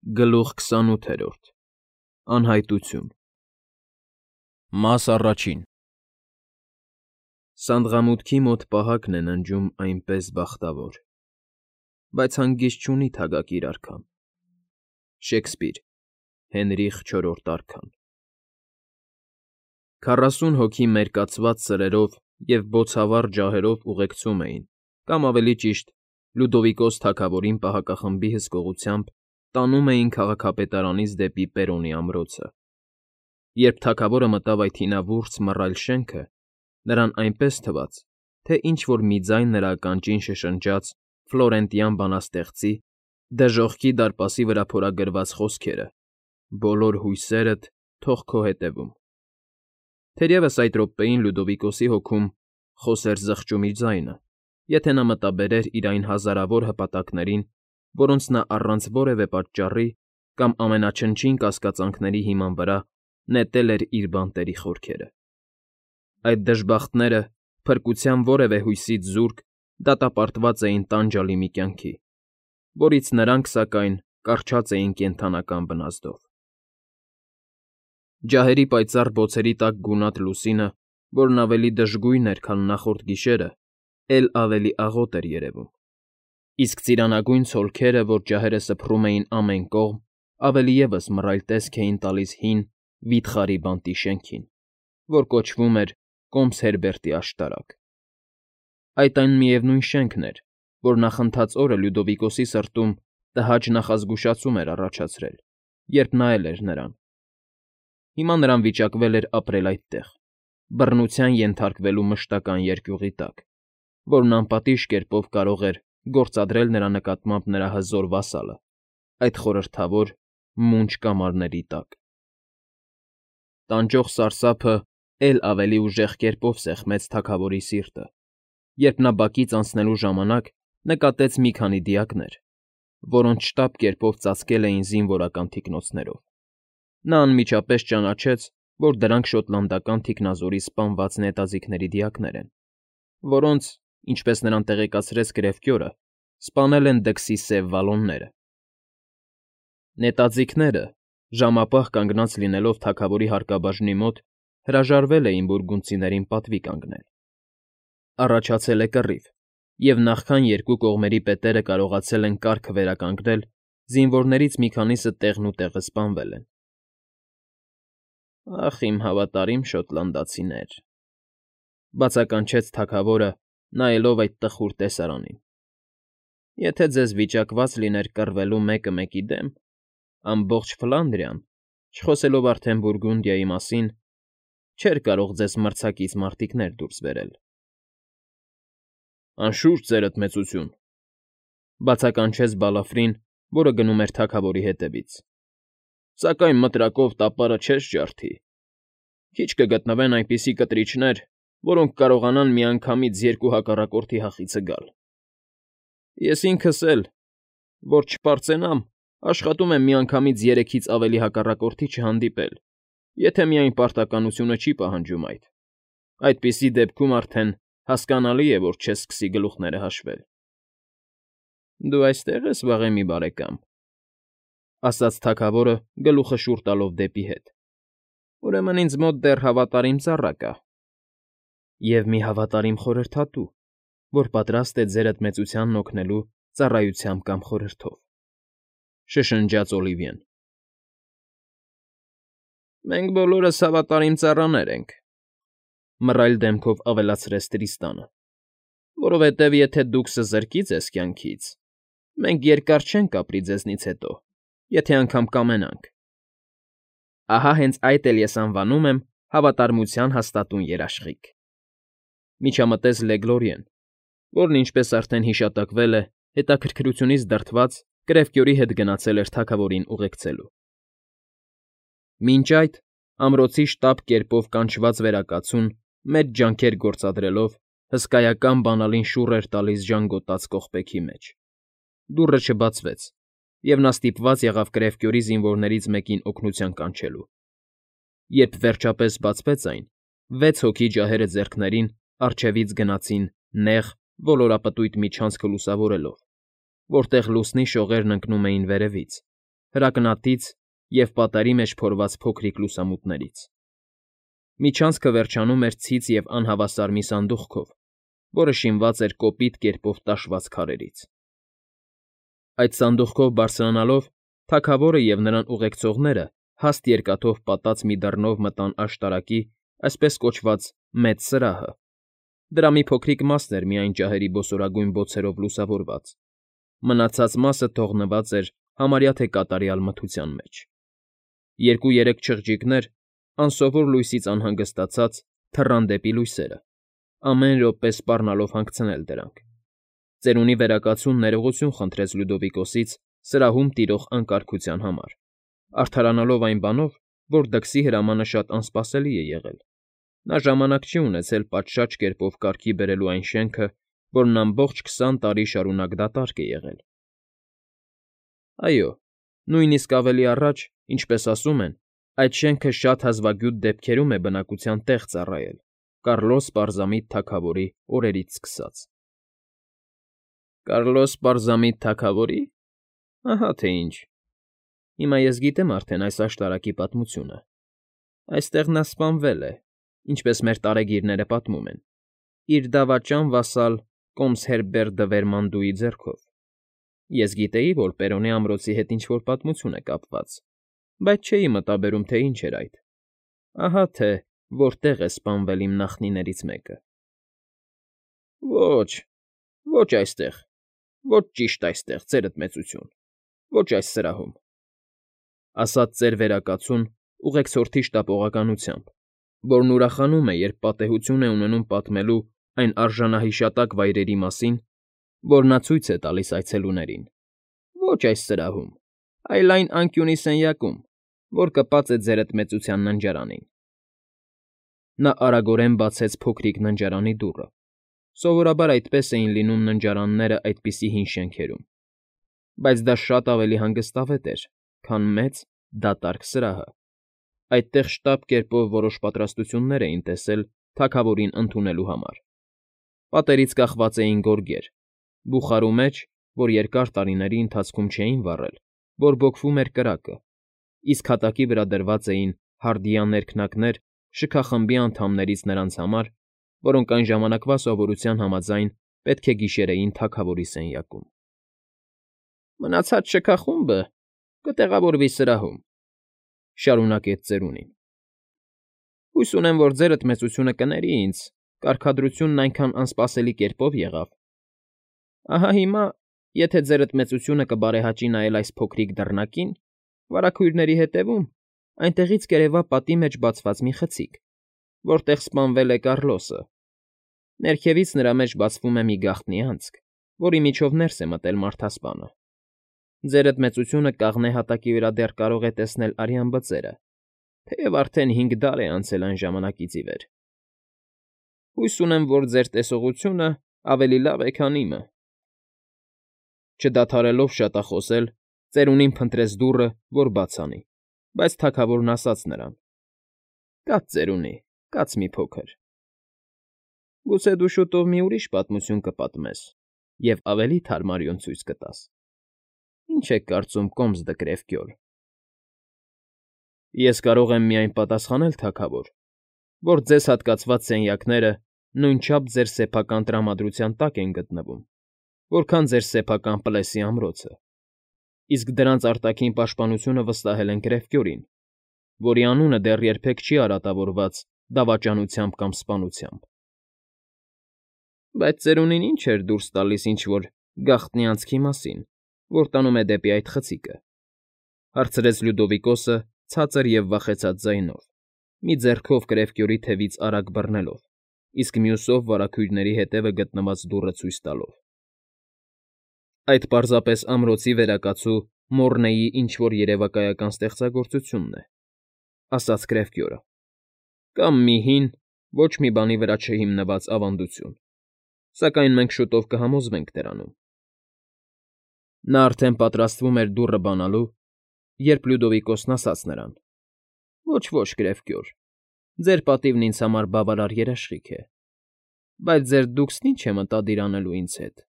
Գլուխ 28 Անհայտություն Մաս առաջին Սանդղամուտքի մոտ պահակն է ննջում այնպես բախտավոր, բայց հանգիստ չունի թագակիր արքան։ Շեքսպիր, Հենրիխ IV արքան 40 հոգի մերկացված սրերով և բոցավառ ջահերով ուղեկցում էին, կամ ավելի ճիշտ, Լյուդովիկոս թագավորին պահակախմբի հսկողությամբ տանում էին քաղաքապետարանից դեպի Պերոնի ամրոցը։ Երբ թագավորը մտավ այդ հինավուրց մռայլ շենքը, նրան այնպես թվաց, թե ինչ֊որ մի ձայն նրա ականջին շշնջաց ֆլորենտյան բանաստեղծի դժոխքի դարպասի վրա փորագրված խոսքերը. «Բոլոր հույսերդ թող քո հետևում»։ Թերևս այդ րոպեին Լյուդովիկոսի հոգում խոսեր զղջումի ձայնը, եթե նա մտաբերեր իր այն հազարավոր հպատակներին, որոնց նա առանց որևէ պատճառի կամ ամենաչնչին կասկածանքների հիման վրա նետել էր իր բանտերի խորքերը։ Այդ դժբախտները, փրկության որևէ հույսից զուրկ, դատապարտված էին տանջալի մի կյանքի, որից նրանք, սակայն, կառչած էին կենդանական բնազդով։ Ջահերի պայծառ բոցերի տակ գունատ լուսինը, որն ավելի դժգույն էր, քան նախորդ գիշերը, էլ ավելի աղոտ էր երևում, իսկ ծիրանագույն ցոլքերը, որ ջահերը սփռում էին ամեն կողմ, ավելի ևս մռայլ տեսք էին տալիս հին, վիթխարի բանտի շենքին, որ կոչվում էր Կոմս Հերբերտի աշտարակ։ Այդ այն միևնույն շենքն էր, որ նախընթաց օրը Լյուդովիկոսի սրտում տհաճ նախազգուշացում էր առաջացրել, երբ նայել էր նրան։ Հիմա նրան վիճակվել էր ապրել այդտեղ, բռնության ենթարկվելու մշտական երկյուղի տակ, որն անպատիժ կերպով կարող էր գործադրել նրա նկատմամբ նրա հզոր վասալը, այդ խորհրդավոր, մունջ կամարների տակ։ Տանջող սարսափը էլ ավելի ուժեղ կերպով սեղմեց թագավորի սիրտը, երբ նա բակից անցնելու ժամանակ նկատեց մի քանի դիակներ, որոնց շտապ կերպով ծածկել էին զինվորական թիկնոցներով։ Նա անմիջապես ճանաչեց, որ դրանք շոտլանդական թիկնազորի սպանված նետաձիգների դիակներ են, որոնց, ինչպես նրան տեղեկացրեց գրևկյորը, սպանել են դքսի սև վալոնները։ Նետաձիգները, ժամապահ կանգնած լինելով թագավորի հարկաբաժնի մոտ, հրաժարվել էին բուրգունդցիներին պատվի կանգնել։ Առաջացել է կռիվ, և նախքան երկու կողմերի պետերը կարողացել են կարգը վերականգնել, զինվորներից մի քանիսը տեղնուտեղը սպանվել են։ «Ախ, իմ հավատարիմ շոտլանդացիներ», բացականչեց թագավորը, նայելով այդ տխուր տեսարանին, «եթե ձեզ վիճակված լիներ կռվելու մեկը մեկի դեմ, ամբողջ Ֆլանդրիան, չխոսելով արդեն Բուրգունդիայի մասին, չէր կարող ձեզ մրցակից մարտիկներ դուրս բերել»։ «Անշուշտ, ձերդ մեծություն», բացականչեց Բալաֆրին, որը գնում էր թագավորի հետևից, «սակայն մտրակով տապարը չես ջարդի։ Քիչ կգտնվեն այնպիսի կտրիչներ, որոնք կարողանան միանգամից երկու հակառակորդի հախիցը գալ։ Ես ինքս էլ, որ չպարծենամ, աշխատում եմ միանգամից 3-ից ավելի հակառակորդի չհանդիպել, եթե միայն պարտականությունը չի պահանջում այդ։ Այդպիսի դեպքում արդեն հասկանալի է, որ չես սկսի գլուխները հաշվել»։ «Դու այստեղ ես, վաղեմի բարեկամ», ասաց թագավորը, գլուխը շուռ տալով դեպի հետ։ «Ուրեմն ինձ մոտ դեռ հավատարիմ ծառա կա»։ «Եվ մի հավատարիմ խորհրդատու, որ պատրաստ է ձերդ մեծությանն օգնելու ծառայությամբ կամ խորհրդով», շշնջաց Օլիվիեն։ «Մենք բոլորս հավատարիմ ծառաներ ենք», մռայլ դեմքով ավելացրեց Տրիստանը, «որովհետև եթե դուք սզրկի ձեզ կյանքից, մենք երկար չենք ապրի ձեզնից հետո, եթե անգամ կամենանք։ Ահա հենց այդ էլ ես անվանում եմ հավատարմության հաստատուն երաշխիք», միջամտեց Լեգլորիեն, որն, ինչպես արդեն հիշատակվել է, հետաքրքրությունից դրդված կրևկյորի հետ գնացել էր թագավորին ուղեկցելու։ Մինչ այդ, ամրոցի շտապ կերպով կանչված վերակացուն, մեծ ջանքեր գործադրելով, հսկայական բանալին շուռ էր տալիս ժանգոտած կողպեքի մեջ։ Դուռը չբացվեց, և նա ստիպված եղավ կրևկյորի զինվորներից մեկին օգնության կանչելու։ Երբ վերջապես բացվեց այն, 6 հոգի ջահերը ձեռքներին առջևից գնացին նեղ, ոլորապտույտ միջանցքը լուսավորելով, որտեղ լուսնի շողերն ընկնում էին վերևից, հրակնատից և պատերի մեջ փորված փոքրիկ լուսամուտներից։ Միջանցքը վերջանում էր ցից և անհավասար մի սանդուղքով, որը շինված էր կոպիտ կերպով տաշված քարերից։ Այդ սանդուղքով բարձրանալով թագավորը և նրան ուղեկցողները հաստ երկաթով պատած մի դռնով մտան աշտարակի այսպես կոչված մեծ սրահը։ Դրա մի փոքրիկ մասն էր միայն ջահերի բոսորագույն բոցերով լուսավորված, մնացած մասը թողնված էր համարյա թե կատարյալ մթության մեջ։ Երկու֊երեք չղջիկներ, անսովոր լույսից անհանգստացած, թռան դեպի լույսերը, ամեն րոպե սպառնալով հանգցնել դրանք։ Ծերունի վերակացուն ներողություն խնդրեց Լյուդովիկոսից սրահում տիրող անկարգության համար, արդարանալով այն բանով, որ դքսի հրամանը շատ անսպասելի է եղել։ Նա ժամանակ չի ունեցել պատշաճ կերպով կարգի բերելու այն շենքը, որն ամբողջ 20 տարի շարունակ դատարկ է եղել։ Այո, նույնիսկ ավելի առաջ, ինչպես ասում են, այդ շենքը շատ հազվագյուտ դեպքերում է բնակության տեղ ծառայել, Կառլոս Պարզամիտ թագավորի օրերից սկսած։ Կարլոս Պարզամիտ թագավորի՞։ Ահա թե ինչ։ Հիմա ես գիտեմ արդեն այս աշտարակի պատմությունը։ Այստեղ նա սպանվել է, ինչպես մեր տարեգիրները պատմում են, իր դավաճան վասալ կոմս Հերբերտ դը Վերմանդուի ձեռքով։ Ես գիտեի, որ Պերոնի ամրոցի հետ ինչ֊որ պատմություն է կապված, բայց չէի մտաբերում, թե ինչ էր այդ։ Ահա թե որտեղ է սպանվել իմ նախնիներից մեկը։ Ոչ, ոչ այստեղ, ոչ ճիշտ այստեղ, ձերդ մեծություն, ոչ այս սրահում, ասաց ծեր վերակացուն ուղեկցորդի շտապողականությամբ, որն ուրախանում է, երբ պատեհություն է ունենում պատմելու այն արժանահիշատակ վայրերի մասին, որ նա ցույց է տալիս այցելուներին։ Ոչ այս սրահում, այլ այն անկյունի սենյակում, որ կպած է ձերդ մեծության ննջարանին։ Նա արագորեն բացեց փոքրիկ ննջարանի դուռը։ Սովորաբար այդպես էին լինում ննջարանները այդպիսի հին շենքերում, բայց դա շատ ավելի հանգստավետ էր, քան մեծ, դատարկ սրահը։ Այդտեղ շտապ կերպով որոշ պատրաստություններ էին տեսել թագավորին ընդունելու համար։ Պատերից կախված էին գորգեր, բուխարու մեջ, որ երկար տարիների ընթացքում չէին վառել, բորբոքվում էր կրակը, իսկ հատակի վրա դրված էին հարդյա ներքնակներ շքախմբի անդամներից նրանց համար, որոնք այն ժամանակվա սովորության համաձայն պետք է գիշերեին թագավորի սենյակում։ Մնացած շքախումբը կտեղավորվի սրահում, շարունակեց ծերունին։ Հույս ունեմ, որ ձերդ մեծությունը կների ինձ, կարգադրությունն այնքան անսպասելի կերպով եղավ։ Ահա հիմա, եթե ձերդ մեծությունը կբարեհաճի նայել այս փոքրիկ դռնակին, վարագույրների հետևում, այնտեղից կերևա պատի մեջ բացված մի խցիկ, որտեղ սպանվել է Կառլոսը։ Ներքևից նրա մեջ բացվում է մի գաղտնի անցք, որի միջով ներս է մտել մարդասպանը։ Ձերդ մեծությունը կաղնե հատակի վրա դեռ կարող է տեսնել արյան բծերը, թեև արդեն 5 դար է անցել այն ժամանակից ի վեր։ Հույս ունեմ, որ ձեր տեսողությունը ավելի լավ է, քան իմը։ Չդադարելով շատախոսել, ծերունին փնտրեց դուռը, որ բաց անի, բայց թագավորն ասաց նրան. Կաց, ծերունի, կաց մի փոքր։ Գուցե դու շուտով մի ուրիշ պատմություն կպատմես և ավելի թարմարյուն ցույց կտաս։ Ինչ եք կարծում, կոմս դը Կրևկյոլ։ Ես կարող եմ միայն պատասխանել, թագավոր, որ ձեզ հատկացված սենյակները նույնչափ ձեր սեփական տրամադրության տակ են գտնվում, որքան ձեր սեփական Պլեսի ամրոցը, իսկ դրանց արտաքին պաշտպանությունը վստահել են Կրևկյոլին, որի անունը դեռ երբեք չի արատավորված դավաճանությամբ կամ սպանությամբ։ Բայց ծերունին ինչ էր դուրս տալիս ինչ֊որ գաղտնի անցքի մասին, որ տանում է դեպի այդ խցիկը, հարցրեց Լյուդովիկոսը ցածր և վախեցած ձայնով, մի ձեռքով Կրևկյոլի թևից արագ բռնելով, իսկ մյուսով վարագույրների հետևը գտնված դուռը ցույց տալով։ Այդ պարզապես ամրոցի վերակացու Մոռնեի ինչ֊որ երևակայական ստեղծագործությունն է, ասաց Կրևկյոլը, կամ մի հին, ոչ մի բանի վրա չհիմնված ավանդություն, սակայն մենք շուտով կհամոզվենք դրանում։ Նա արդեն պատրաստվում էր դուռը բանալու, երբ Լյուդովիկոսն ասաց նրան. Ոչ, Կրևկյոլ, ձեր պատիվն ինձ համար բավարար երաշխիք է, բայց ձեր դուքսն ինչ է մտադիր անելու ինձ հետ։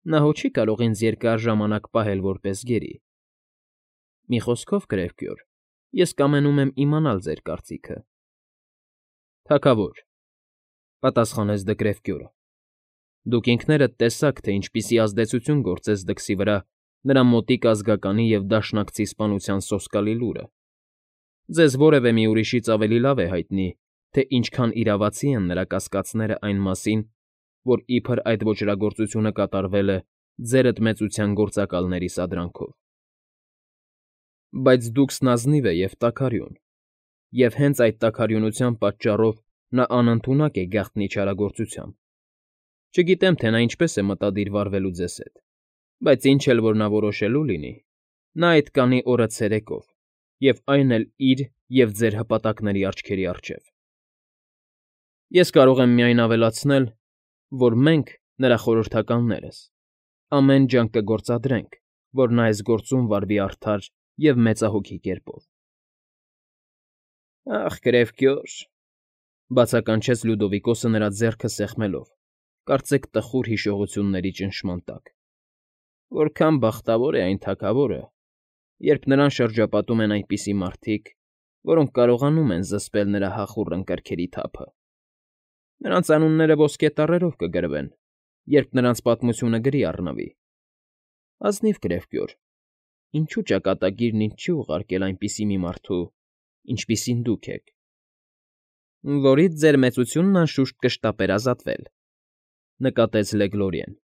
Նա հո չի կարող ինձ երկար ժամանակ պահել որպես գերի։ Մի խոսքով, Գրևկյոր, ես կամենում եմ իմանալ ձեր կարծիքը։ Թագավոր, պատասխանեց Դկրևկյորը, դուք ինքներդ տեսաք, թե ինչպիսի ազդեցություն գործեց դքսի վրա նրա մոտիկ ազգականի և դաշնակցի սպանության սոսկալի լուրը։ Ձեզ որևէ մի ուրիշից ավելի լավ է հայտնի, թե ինչքան իրավացի են նրա կասկածները այն մասին, որ իբր այդ ոճրագործությունը կատարվել է ձերդ մեծության գործակալների սադրանքով։ Բայց դուքսն ազնիվ է և տաքարյուն, և հենց այդ տաքարյունության պատճառով նա անընդունակ է գաղտնի չարագործությամբ։ Չգիտեմ, թե նա ինչպես է մտադիր վարվելու ձեզ հետ, բայց ինչ էլ որ նա որոշելու լինի, նա այդ կանի օրը ցերեկով, և այն էլ իր և ձեր հպատակների աչքերի առջև։ Ես կարող եմ միայն ավելացնել, որ մենք, նրա խորհրդականներս, ամեն ջանք կգործադրենք, որ նա այս գործում վարվի արդար և մեծահոգի կերպով։ Ախ, Գրևկյոր,֊ բացականչեց Լյուդովիկոսը նրա ձեռքը սեղմելով, կարծեք տխուր հիշողությունների ճնշման տակ,֊ որքան բախտավոր է այն թագավորը, երբ նրան շրջապատում են այնպիսի մարդիկ, որոնք կարողանում են զսպել նրա հախուռն կրքերի թափը։ Նրանց անունները ոսկե տառերով կգրվեն, երբ նրանց պատմությունը գրի առնվի։ Ազնիվ Գրևկյոր, ինչու ճակատագիրն ինձ չի ուղարկել այնպիսի մի մարդու, ինչպիսին դուք եք։ Որից ձեր մեծությունն անշուշտ կշտապեր ազատվել,֊ նկատեց Լեգլորիեն։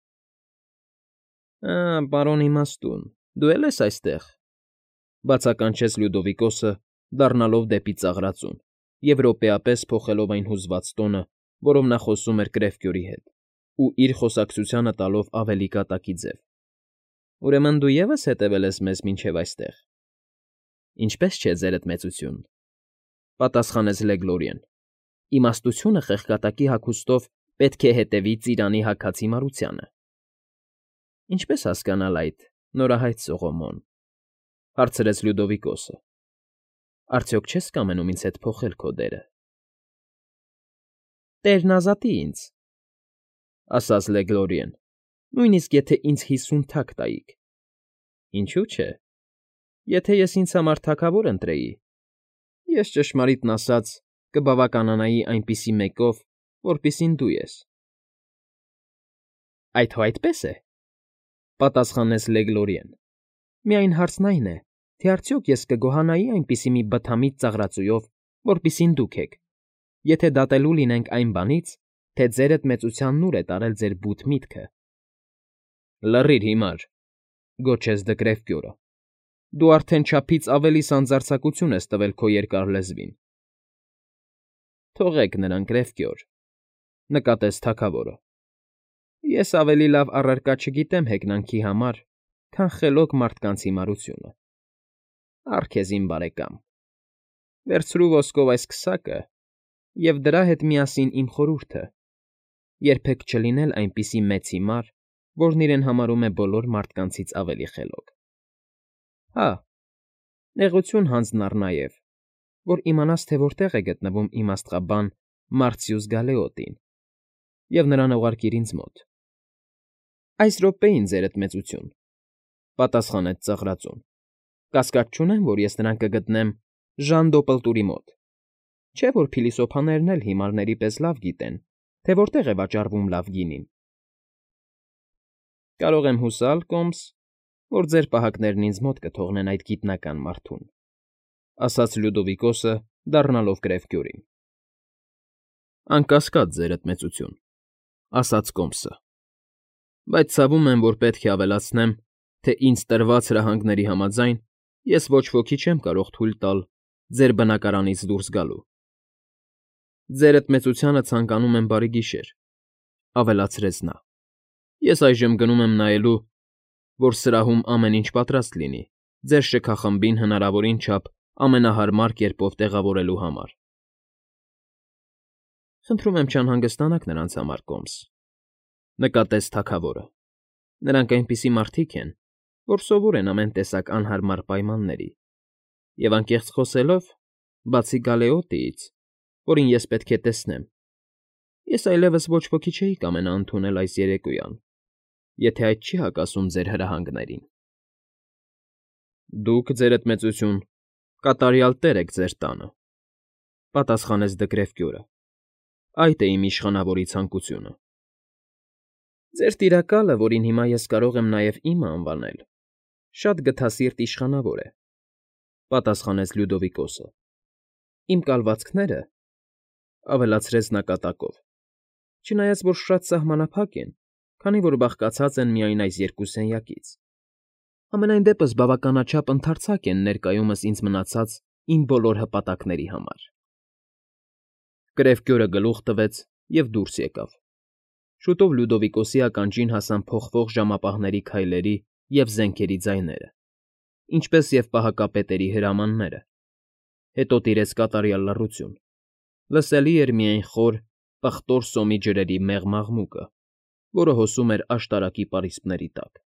Պարոն իմաստուն, դու էլ ես այստեղ,֊ բացականչեց Լյուդովիկոսը, դառնալով դեպի ծաղրածուն և րոպեապես փոխելով այն հուզված տոնը, որով նա խոսում էր Գրևկյորի հետ, ու իր խոսակցությանը տալով ավելի կատակի ձև։ Ուրեմն դու ևս հետևել ես մեզ մինչև այստեղ։ Ինչպե՞ս չէ, ձերդ մեծություն,֊ պատասխանեց Լեգլորիեն։ Իմաստությունը խեղկատակի հագուստով պետք է հետևի ծիրանի հագած հիմարությանը։ Ինչպե՞ս հասկանալ այդ, նորահայտ Սողոմոն,֊ հարցրեց Լյուդովիկոսը։ Արդյոք չես կամենում ինձ հետ փոխել քո դերը։ Տերն ազատի ինձ,֊ ասաց Լեգլորիեն, նույնիսկ եթե ինձ 50 թագ տայիք։ Ինչու՞ չէ, եթե ես ինձ համար թագավոր ընտրեի, ես, ճշմարիտն ասած, կբավականանայի այնպիսի մեկով, որպիսին դու ես։ Այդ հո այդպես է,֊ պատասխանեց Լեգլորիեն։ Միայն հարցն այն է, թե արդյոք ես կգոհանայի այնպիսի մի բթամիտ ծաղրածույով, որպիսին դուք եք, եթե դատելու լինենք այն բանից, թե ձերդ մեծությանն ուր է տարել ձեր բութ միտքը։ Լռիր հիմար,֊ գոչեց Դկրևկյորը։ Դու արդեն չափից ավելի սանձարձակություն ես տվել քո երկար լեզվին։ Թողեք նրան, Գրևկյոր,֊ նկատեց թագավորը։ Ես ավելի լավ առարկա չգիտեմ հեգնանքի համար, քան խելոք մարդկանց հիմարությունը։ Առ քեզ, իմ բարեկամ, վերցրու ոսկով այս քսակը և դրա հետ միասին իմ խորհուրդը. երբեք չլինել այնպիսի մեծ հիմար, որն իրեն համարում է բոլոր մարդկանցից ավելի խելոք։ Հա, նեղություն հանձն առ նաև, որ իմանաս, թե որտեղ է գտնվում իմ աստղաբան Մարցիուս Գալեոտին, և նրան ուղարկիր ինձ մոտ։ Այս րոպեին, ձերդ մեծություն,֊ պատասխանեց ծաղրածուն։ Կասկած չունեմ, որ ես նրան կգտնեմ Ժան Դոպլտուրի մոտ, չէ՞ որ փիլիսոփաներն էլ հիմարների պես լավ գիտեն, թե որտեղ է վաճառվում լավ գինին։ Կարող եմ հուսալ, Կոմս, որ ձեր պահակներն ինձ մոտ կթողնեն այդ գիտնական մարդուն,֊ ասաց Լյուդովիկոսը, դառնալով Գրևկյորին։ Անկասկած, ձերդ մեծություն,֊ ասաց Կոմսը, բայց ցավում եմ, որ պետք է ավելացնեմ, թե ինձ տրված հրահանգների համաձայն ես ոչ ոքի չեմ կարող թույլ տալ ձեր բնակարանից դուրս գալու։ Ձերդ մեծությանը ցանկանում եմ բարի գիշեր,֊ ավելացրեց նա։ Ես այժմ գնում եմ նայելու, որ սրահում ամեն ինչ պատրաստ լինի ձեր շքախմբին հնարավորին չափ ամենահարմար կերպով տեղավորելու համար։ Խնդրում եմ չանհանգստանաք նրանց համար, Կոմս,֊ նկատեց թագավորը։ Նրանք այնպիսի մարդիկ են, որ սովոր են ամեն տեսակ անհարմար պայմանների, և անկեղծ խոսելով, բացի Գալեոտիից, որին ես պետք է տեսնեմ, ես այլևս ոչ ոքի չէի կամենա ընդունել այս երեկոյան, եթե այդ չի հակասում ձեր հրահանգներին։ Դուք, ձերդ մեծություն, կատարյալ տեր եք ձեր տանը,֊ պատասխանեց Դկրևկյորը։ Այդ է իմ իշխանավորի ցանկությունը։ Ձեր տիրակալը, որին հիմա ես կարող եմ նաև իմը անվանել, շատ գթասիրտ իշխանավոր է,֊ պատասխանեց Լյուդովիկոսը։ Իմ կալվածքները,֊ ավելացրեց նա կատակով,֊ չնայած որ շատ սահմանափակ են, քանի որ բաղկացած են միայն այս երկու սենյակից, համենայն դեպս բավականաչափ ընդարձակ են ներկայումս ինձ մնացած իմ բոլոր հպատակների համար։ Կրևկյորը գլուխ տվեց և դուրս եկավ։ Շուտով Լյուդովիկոսի ականջին հասան փոխվող ժամապահների քայլերի և զենքերի ձայները, ինչպես և պահակապետերի հրամանները։ Հետո տիրեց կատարյալ լռություն, լսելի էր միայն խոր, պղտոր սոմի ջրերի մեղ մաղմուկը, որը հոսում էր աշտարակի պարիսպների տակ։ ֊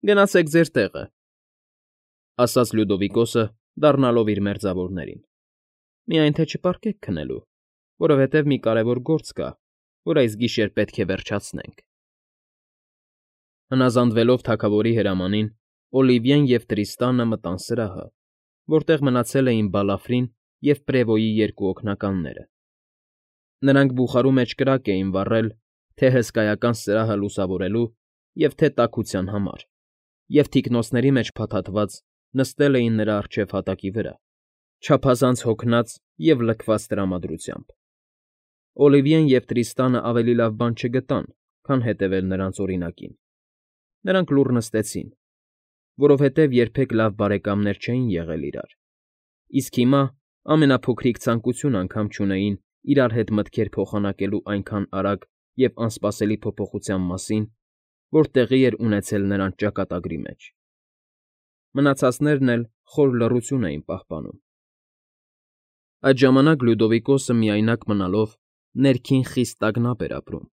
Գնացեք ձեր տեղը,֊ ասաց Լյուդովիկոսը, դառնալով իր մերձավորներին։֊ Միայն թե չպառկեք քնելու, որովհետև մի կարևոր գործ կա, որ այս գիշեր պետք է վերջացնենք։ Հնազանդվելով թագավորի հրամանին, Օլիվիեն և Տրիստանը մտան սրահը, որտեղ մնացել էին Բալաֆրին և Պրևոյի երկու օգնականները։ Նրանք բուխարու մեջ կրակ էին վառել թե՛ հսկայական սրահը լուսավորելու և թե՛ տաքության համար, և թիկնոցների մեջ փաթաթված նստել էին նրա առջև հատակի վրա, չափազանց հոգնած և լքված տրամադրությամբ։ Օլիվիեն և Տրիստանը ավելի լավ բան չգտան, քան հետևել նրանց օրինակին։ Նրանք լուռ նստեցին, որովհետև երբեք լավ բարեկամներ չէին եղել իրար, իսկ հիմա ամենափոքրիկ ցանկություն անգամ չունեին իրար հետ մտքեր փոխանակելու այնքան արագ և անսպասելի փոփոխության մասին, որ տեղի էր ունեցել նրանց ճակատագրի մեջ։ Մնացածներն էլ խոր լռություն էին պահպանում։ Այդ ժամանակ Լյուդովիկոսը միայնակ մնալով ներքին խիստ տագնապ էր ապրում,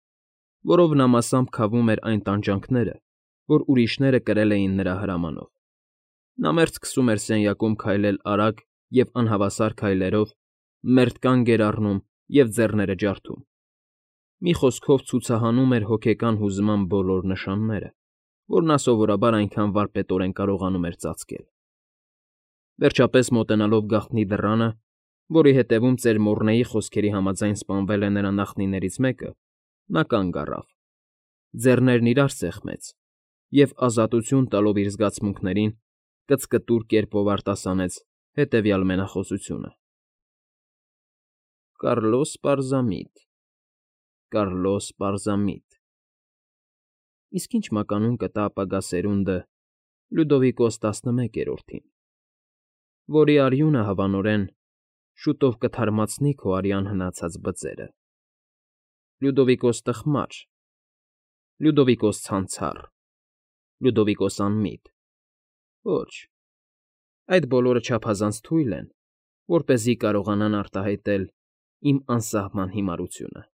որով նա մասամբ քավում էր այն տանջանքները, որ ուրիշները կրել էին նրա հրամանով։ Նա մերթ սկսում էր սենյակում քայլել արագ և անհավասար քայլերով, մերթ կանգ էր առնում և ձեռները ջարդում։ Մի խոսքով ցուցահանում էր հոգեկան հուզման բոլոր նշանները, որ նա սովորաբար այնքան վարպետորեն կարողանում էր ծածկել։ Վերջապես մոտենալով գաղտնի դռանը, որի հետևում ծեր խոսքերի համաձայն սպանվել է նրա նախնիներից մեկը, նա կանգ առավ, ձեռներն իրար սեղմեց և, ազատություն տալով իր զգացմունքներին, կծկտուր կերպով արտասանեց հետևյալ մենախոսությունը. Կարլոս Պարզամիտ, Կարլոս Պարզամիտ… Իսկ ինչ մականուն կտա ապագա սերունդը Լյուդովիկոս տասնմեկերորդին, որի արյունը, հավանորեն, շուտով կթարմացնի քո արյան հնացած բծերը… Լյուդովիկոս տխմար, Լյուդովիկոս ցանցառ, Լյուդովիկոս անմիտ… Ոչ, այդ բոլորը չափազանց թույլ են, որպեսզի կարողանան արտահայտել իմ անսահման հիմարությունը…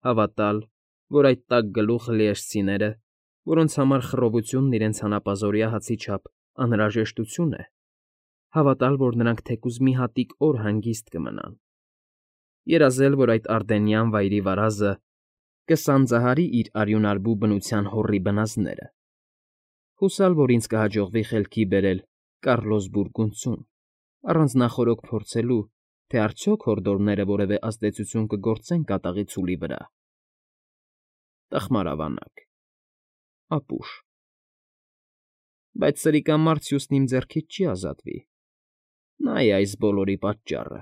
Հավատալ, որ այդ տաք գլուխը լիեշցիները, որոնց համար խռովությունն իրենց հանապազօրյա հացի չափ անհրաժեշտություն է, հավատալ, որ նրանք թեկուզ մի հատիկ օր հանգիստ կմնան, երազել, որ այդ արդենյան վայրի վարազը կսանձահարի իր արյունարբու բնության հոռի բնազդները, հուսալ, որ ինձ կհաջողվի խելքի բերել Կարլոս բուրգունդցուն, առանց նախօրոք փորձելու, թե արդյոք հորդորները որևէ ազդեցություն կգործեն կատաղի ցուլի վրա… Տխմար ավանակ… ապուշ… Բայց սրիկամարդ սյուսն իմ ձեռքից չի ազատվի… Նա է այս բոլորի պատճառը…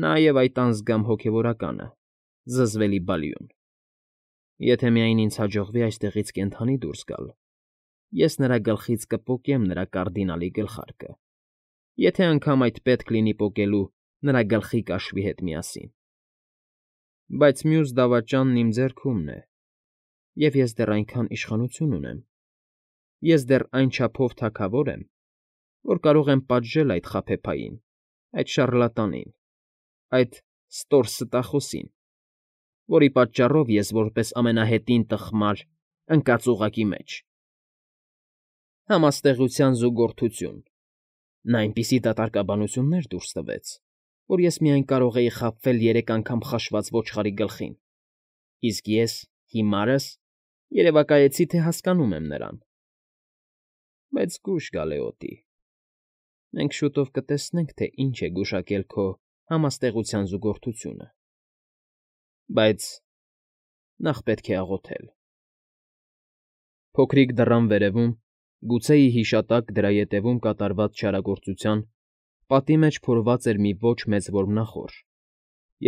Նա և այդ անձգամ հոգևորականը… զզվելի Բալյուն… Եթե միայն ինձ հաջողվի այստեղից կենդանի դուրս գալ, ես նրա գլխից կպոկեմ նրա կարդինալի գլխարկը, եթե անգամ այդ պետք լինի պոկելու նրա գլխի կաշվի հետ միասին… Բայց մյուս դավաճանն իմ ձեռքումն է, և ես դեռ այնքան իշխանություն ունեմ, ես դեռ այն չափով թագավոր եմ, որ կարող եմ պատժել այդ խաբեբային, այդ շառլատանին, այդ ստորստախոսին, որի պատճառով ես որպես ամենահետին տխմար ընկած օղակի մեջ… Համաստեղության զուգորդություն… Նա այնպիսի դատարկաբանություններ դուրս տվեց, որ ես միայն կարող էի խաբվել 3 անգամ խաշված ոչխարի գլխին, իսկ ես, հիմարս, երևակայեցի, թե հասկանում եմ նրան… Բայց զգույշ, Գալեոտի, մենք շուտով կտեսնենք, թե ինչ է գուշակել քո համաստեղության զուգորդությունը, բայց նախ պետք է աղոթել… Փոքրիկ դռան վերևում, գուցե ի հիշատակ դրա ետևում կատարված չարագործության, պատի մեջ փորված էր մի ոչ մեծ որմնախորշ,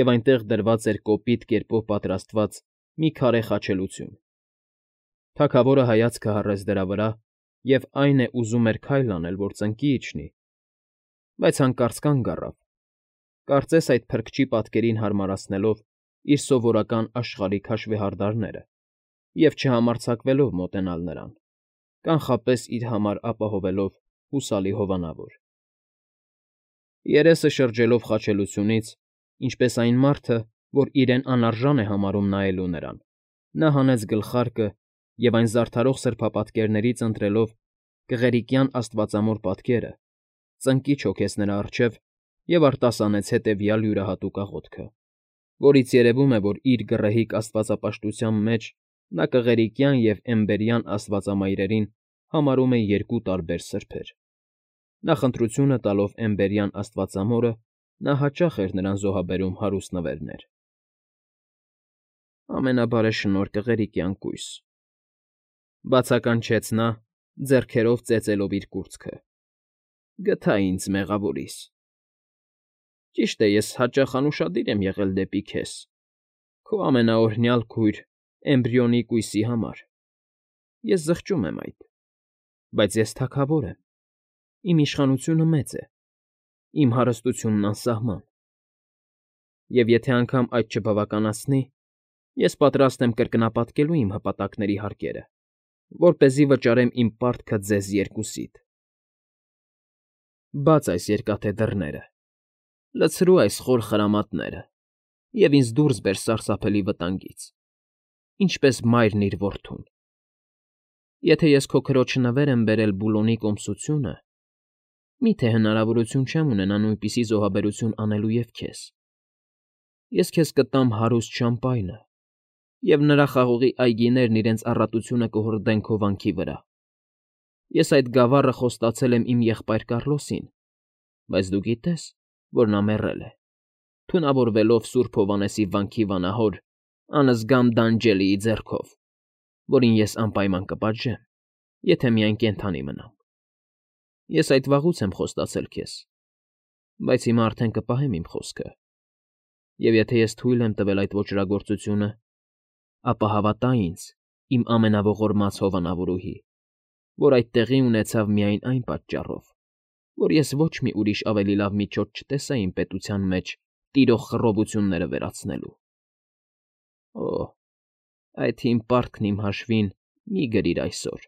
և այնտեղ դրված էր կոպիտ կերպով պատրաստված մի քարե խաչելություն. թագավորը հայացքը հառեց դրա վրա և այն է ուզում էր քայլ անել, որ ծնկի իջնի, բայց հանկարծ կանգ առավ, կարծես այդ փրկչի պատկերին հարմարացնելով իր սովորական աշխարհիկ հաշվեհարդարները և չհամարձակվելով մոտենալ նրան, կանխապես իր համար ապահովելով հուսալի հովանավոր… Երեսը շրջելով խաչելությունից, ինչպես այն մարդը, որ իրեն անարժան է համարում նայելու նրան, նա հանեց գլխարկը և այն զարդարող սրբապատկերներից ընտրելով կղերիկյան աստվածամոր պատկերը, ծնկի չոքեց նրա առջև և արտասանեց հետևյալ յուրահատուկ աղոթքը, որից երևում է, որ իր գռեհիկ աստվածապաշտության մեջ նա կղերիկյան և էմբերյան աստվածամայրերին համարում է երկու տարբեր սրբեր. նախընտրությունը տալով էմբերյան աստվածամորը, նա հաճախ էր նրան զոհաբերում հարուստ նվերներ. «Ամենաբարեշնորհ կղերիկյան կույս…֊ բացականչեց նա, ձեռքերով ծեծելով իր կուրծքը։֊ Գթա ինձ, մեղավորիս… Ճիշտ է, ես հաճախ անուշադիր եմ եղել դեպի քեզ, քո ամենաօրհնյալ քույր Էմբրիոնի կույսի համար, ես զղջում եմ այդ, բայց ես թագավոր եմ, իմ իշխանությունը մեծ է, իմ հարստությունն անսահման… Եվ եթե անգամ այդ չբավականացնի, ես պատրաստ եմ կրկնապատկելու իմ հպատակների հարկերը, որպեսզի վճարեմ իմ պարտքը ձեզ երկուսիդ… Բաց այս երկաթե դռները, լցրու այս խոր խրամատները և ինձ դուրս բեր սարսափելի վտանգից, ինչպես մայրն իր որդուն… Եթե ես քո քրոջը նվեր եմ բերել Բուլոնի կոմսությունը, մի՞թե հնարավորություն չեմ ունենա նույնպիսի զոհաբերություն անելու և քեզ… Ես քեզ կտամ հարուստ շամպայնը, և նրա խաղողի այգիներն իրենց առատությունը կհորդեն քո վանքի վրա… Ես այդ գավառը խոստացել եմ իմ եղբայր Կառլոսին, բայց դու գիտես, որ նա մեռել է, թունավորվելով Սուրբ Հովհաննեսի վանքի վանահոր անզգամ Դանջելիի ձեռքով, որին ես անպայման կպատժեմ, եթե միայն կենդանի մնամ… Ես այդ վաղուց եմ խոստացել քեզ, բայց հիմա արդեն կպահեմ իմ խոսքը, և եթե ես թույլ եմ տվել այդ ոճրագործությունը, ապա հավատա ինձ, իմ ամենաողորմած հովանավորուհի, որ այդ տեղի ունեցավ միայն այն պատճառով, որ ես ոչ մի ուրիշ ավելի լավ միջոց չտեսա իմ պետության մեջ տիրող խռովությունները վերացնելու… Օ՜, այդ հին պարտքն իմ հաշվին մի՛ գրիր այսօր,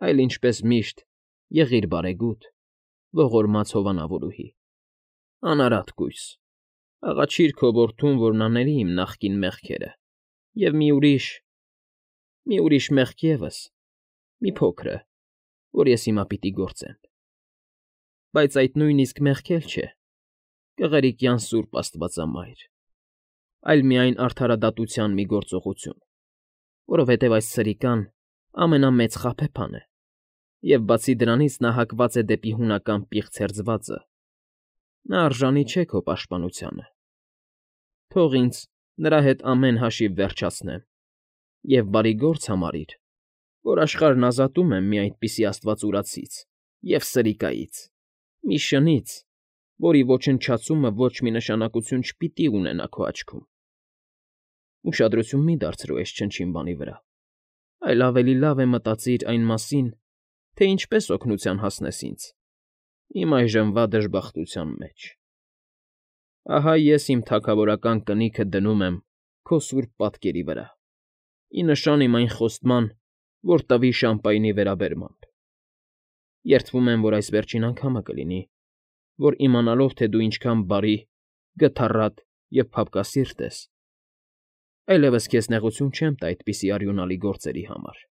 այլ, ինչպես միշտ, եղիր բարեգութ, ողորմած հովանավորուհի… Անարատ կույս, աղաչիր քո որդուն, որ նա ների իմ նախկին մեղքերը և մի ուրիշ մեղք ևս, մի փոքրը, որ ես հիմա պիտի գործեմ… Բայց այդ նույնիսկ մեղք էլ չէ, կղերիկյան Սուրբ Աստվածամայր, այլ միայն արդարադատության մի գործողություն, որովհետև այս սրիկան ամենամեծ խաբեբան է, և բացի դրանից նա հակված է դեպի հունական պիղծ հերձվածը, նա արժանի չէ քո պաշտպանությանը… Թող ինձ նրա հետ ամեն հաշիվ վերջացնեմ և բարի գործ համարիր, որ աշխարհն ազատում եմ մի այդպիսի աստվածուրացից և սրիկայից, մի շնից, որի ոչնչացումը ոչ մի նշանակություն չպիտի ունենա քո աչքում… Ուշադրություն մի՛ դարձրու այս չնչին բանի վրա, այլ ավելի լավ է մտածիր այն մասին, թե ինչպես օգնության հասնես ինձ, իմ այժմվա դժբախտության մեջ… Ահա ես իմ թագավորական կնիքը դնում եմ քո սուրբ պատկերի վրա, ի նշան իմ այն խոստման, որ տվի շամպայնի վերաբերմամբ… Երդվում եմ, որ այս վերջին անգամը կլինի, որ իմանալով, թե դու ինչքան բարի, գթառատ և փափկասիրտ ես, այլևս քեզ նեղություն չեմ տա այդպիսի արյունալի գործերի համար…